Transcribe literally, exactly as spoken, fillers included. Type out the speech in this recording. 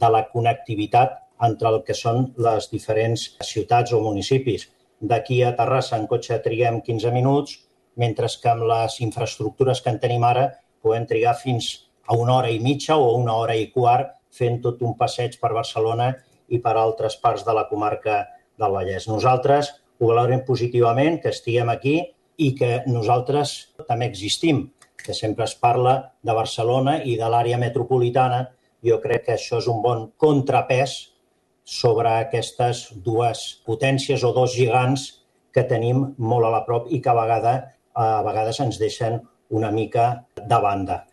de la connectivitat entre el que són les diferents ciutats o municipis. D'aquí a Terrassa en cotxe triguem quinze minuts, mentre que amb les infraestructures que en tenim ara podem trigar fins a una hora i mitja o una hora i quart fent tot un passeig per Barcelona i per altres parts de la comarca del Vallès. Nosaltres ho valorem positivament, que estiguem aquí i que nosaltres també existim, que sempre es parla de Barcelona i de l'àrea metropolitana. Jo crec que això és un bon contrapès sobre aquestes dues potències o dos gegants que tenim molt a la prop i que a vegades, a vegades ens deixen una mica de banda.